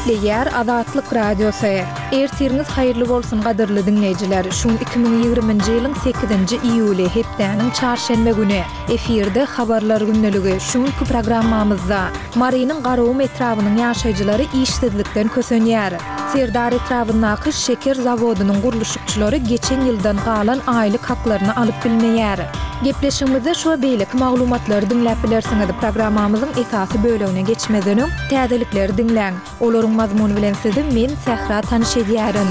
Gepleýär Azatlyk Radiosy. Ertiriňiz haýyrly bolsun gadyrly diňleýjiler. Şu gün 2020-nji ýylyň 8-nji iýuly, hepdäniň çarşenbe güni. Efirde Habarlar gündeligi. Şu günki programmamyzda Marynyň Garagum etrabynyň ýaşaýjylary işsizlikden kösenýär. Serdar etrabyndaky şeker zawodynyň gurluşykçylary geçen ýyldan galan aýlyk haklaryny alyp bilmeýär. Gepleşigimizde şu we beýleki maglumatlary diňläp bilersiňiz. Programmamyzyň esasy bölegine geçmezden öň, täzelikleri diňläň. Olaryň mazmuny bilen sizi men, Sähra tanyş edýärin.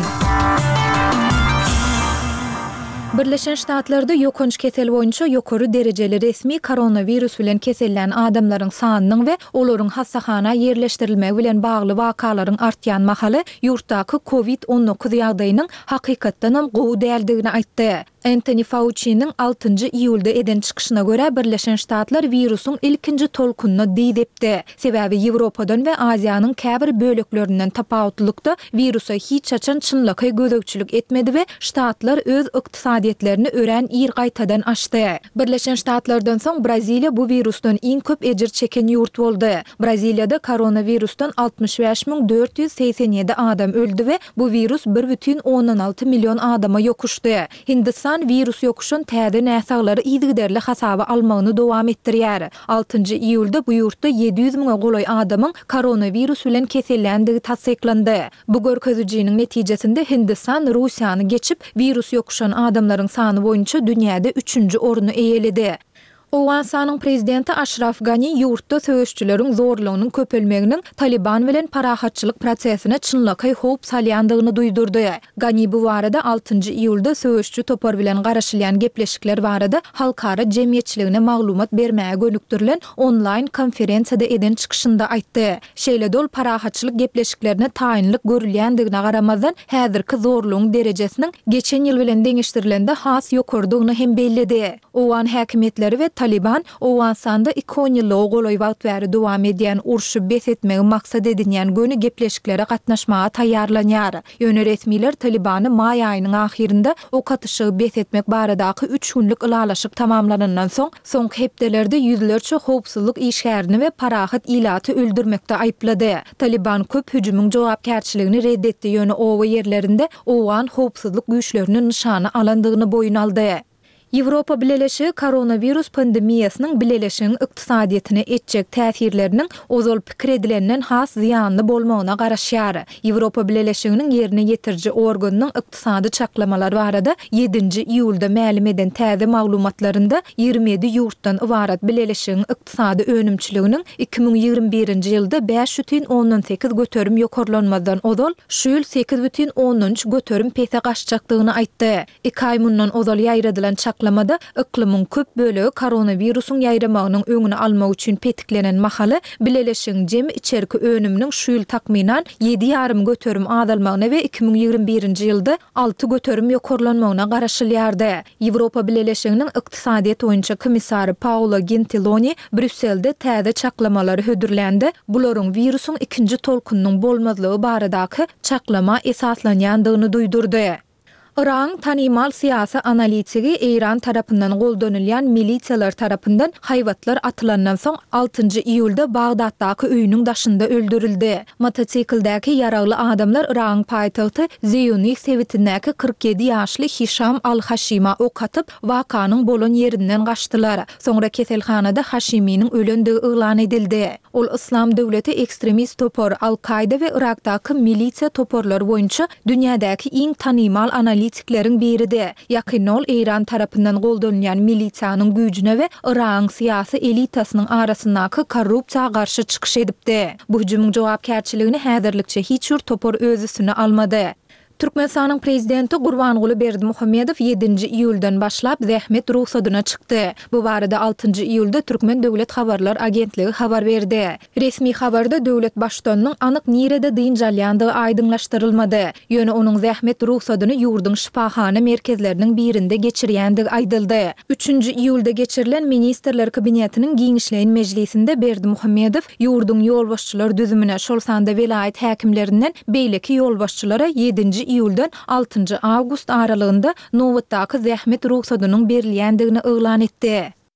Birleşen Ştatlarda ýokanç kesel boýunça ýokary derejeli resmi koronawirus bilen kesellän adamlaryň sanynyň we olaryň hassahana ýerleşdirilmegi bilen bagly wakalaryň artýan mahaly ýurtdaky Covid 19 ýagdaýynyň hakykatdanam gowy däldigini aýtdy. Entoni Fauçiniň altynjy iýulda eden çykyşyna görä, Birleşen Ştatlar wirusyň ilkinji tolkunyna dyz epdi. Sebäbi Ýewropadan we Aziýanyň käbir böleklerinden tapawutlylykda wirusa hiç haçan çynlakaý gözegçilik etmedi we ştatlar öz ykdysadyýetlerini örän ir gaýtadan açdy. Birleşen Ştatlardan soň Braziliýa bu wirusdan iň köp ejir çeken ýurt boldy. Braziliýada koronawirusdan 65 487 adam öldi we bu wirus bir bütin ondan alty million adama ýokuşdy. Hindistan wirus ýokuşan täze näsaglary yzygiderli hasaba almagyny dowam etdirýär. Altynjy iýulda bu ýurtda 700 müňe golaý adamyň koronawirus bilen keselländigi tassyklandy. Bu görkezijiniň netijesinde Hindistan Russiýany geçip, wirus ýokuşan adamlaryň sany boýunça dünýäde üçünji orny eýeledi. Owganystanyň prezidenti Aşraf Gani ýurtda söweşçileriň zorlugynyň köpelmeginiň Talyban bilen parahatçylyk prosesine çynlakaý howp salýandygyny duýdurdy. Gani bu barada altynjy iýulda söweşçi topar bilen garaşylýan gepleşikler barada halkara jemgyýetçiligine maglumat bermäge gönükdirilen onlaýn konferensiýada eden çykyşynda aýtdy. Şeýle-de ol parahatçylyk gepleşiklerine taýynlyk görülýändigine garamazdan, häzirki zorlugyň derejesiniň geçen ýyl bilen deňeşdirilende has ýokarydygyny hem belledi. Owgan häkimiýetleri we Talyban Owganystanda iki onýyllyga golaý wagt bäri dowam edýän urşy bes etmegi maksat edinýän göni gepleşiklere gatnaşmaga taýýarlanýar. Ýöne resmiler Talybany maý aýynyň ahyrynda ok atyşygy bes etmek baradaky üç günlük ylalaşyk tamamlanandan soň, soňky hepdelerde ýüzlerçe howpsuzlyk işgärini we parahat ilaty öldürmekde aýyplady. Talyban köp hüjümiň jogapkärçiligini red etdi, ýöne oba ýerlerinde owgan howpsuzlyk güýçlerini nyşana alandygyny boýun aldy. Ýewropa Bileleşigi koronawirus pandemiýasynyň bileleşigiň ykdysadyýetine etjek täsirleriniň ozal pikir edilenden has zyýanly bolmagyna garaşýar. Ýewropa Bileleşiginiň ýerine ýetiriji organynyň ykdysady çaklamalar barada ýedinji iýulda mälim eden täze maglumatlarynda 27 ýurtdan ybarat bileleşigiň ykdysady önümçiliginiň 2021-nji ýylda 5,8% ýokarlanmazdan ozal şu ýyl 8,3% pese gaçjakdygyny aýtdy. Iki aý mundan ozal ýaýradylan çaklamada yklymyň köp bölegi koronawirusyň ýaýramagynyň öňüni almak üçin petiklenen mahaly, bileleşigiň jemi içerki önüminiň şu ýyl takmynan 7,5% azalmagyna we 2021-nji ýylda 6% ýokarlanmagyna garaşylýardy. Ýewropa Bileleşiginiň ykdysadyýet boýunça komissary Paolo Gentiloni Brýusselde täze çaklamalary hödürlände, bularyň wirusyň ikinji tolkunynyň bolmazlygy baradaky çaklama esaslanýandygyny duýdurdy. Yragyň tanymal syýasy analitigi Eýran tarapyndan goldanylýan milisiýalar tarapyndan haýbatlar atylandan soň altynjy iýulda Bagdatdaky öýüniň daşynda öldürildi. Motosikldäki ýaragly adamlar Yragyň paýtagty Zeýunih sebitindäki 47 ýaşly Hişam al-Haşima ok atyp, wakanyň bolan ýerinden gaçdylar. Soňra keselhanada Haşiminiň ölendigi yglan edildi. Ol Yslam döwleti ekstremist topar, Al-Kaýda we Yrakdaky milisiýa toparlary boýunça dünýädäki iň tanymal analitikleriň biridi. Ýakynda ol Eýran tarapyndan goldanylýan milisiýanyň güýjüne we Yragyň syýasy elitasynyň arasyndaky korrupsiýa garşy çykyş edipdi. Bu hüjümiň jogapkärçiligini häzirlikçe hiç bir topar öz üstüne almady. Türkmenistanyň Prezidenti Gurbanguly Berdimuhamedow ýedinji iýuldan başlap zähmet rugsadyna çykdy. Bu barada altynjy iýulda Türkmen döwlet habarlar agentligi habar berdi. Resmi habarda döwlet Baştutanynyň anyk nirede dynç alýandygy aýdyňlaşdyrylmady. Ýöne onuň zähmet rugsadyny ýurduň şypahana merkezleriniň birinde geçirýändigi aýdyldy. Üçünji iýulda geçirilen Ministrler Kabinetiniň giňişleýin mejlisinde Berdimuhamedow ýurduň ýolbaşçylar düzümine, şol sanda welaýat häkimlerinden beýleki ýolbaşçylara ýedinji iýuldan altynjy awgust aralygynda nobatdaky zähmet rugsadynyň berilýändigini yglan etdi.